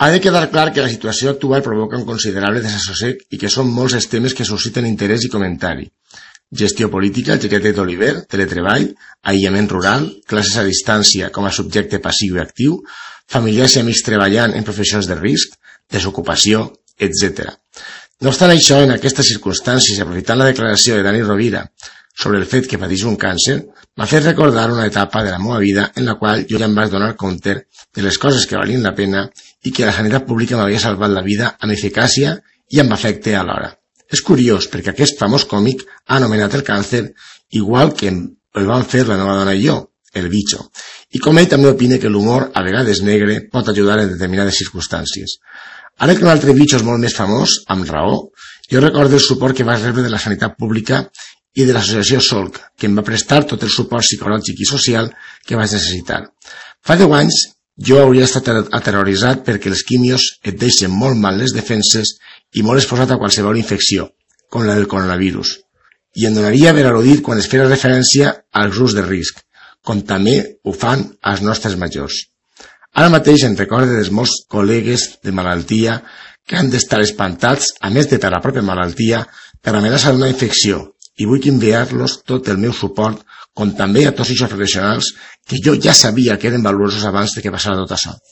Ha de quedar clar que la situació actual provoca un considerable desassossec i que són molts els temes que susciten interès i comentari. Gestió política, el xiquetet d'Oliver, teletreball, aïllament rural, classes a distància com a subjecte passiu i actiu, familiars i amics treballant en professions de risc, desocupació, etc. No obstant això, en aquestes circumstàncies, aprofitant la declaració de Dani Rovira sobre el fet que pateix un càncer, m'ha fet recordar una etapa de la meva vida en la qual jo ja em vaig donar compte de les coses que valien la pena i que la sanitat pública m'havia salvat la vida amb eficàcia i amb afecte alhora. És curiós perquè aquest famós còmic ha anomenat el càncer igual que el van fer la meva dona i jo, el bitxo, i com ell també opina que l'humor, a vegades negre, pot ajudar en determinades circumstàncies. Ara que un altre bitxo és molt més famós, amb raó, jo recordo el suport que vaig rebre de la sanitat pública i de l'associació Solc, que em va prestar tot el suport psicològic i social que vaig necessitar. Fa 10 anys jo hauria estat aterroritzat perquè els quimios et deixen molt mal les defenses i molt exposat a qualsevol infecció, com la del coronavirus, i em donaria per al·ludit quan es feia referència als grups de risc, com també ho fan els nostres majors. Ara mateix em recordo dels molts col·legues de malaltia que han d'estar espantats, a més de per la pròpia malaltia, per l'amenaça d'una infecció, i vull enviar-los tot el meu suport, com també a tots els professionals que jo ja sabia que eren valuosos abans de que passara tot això.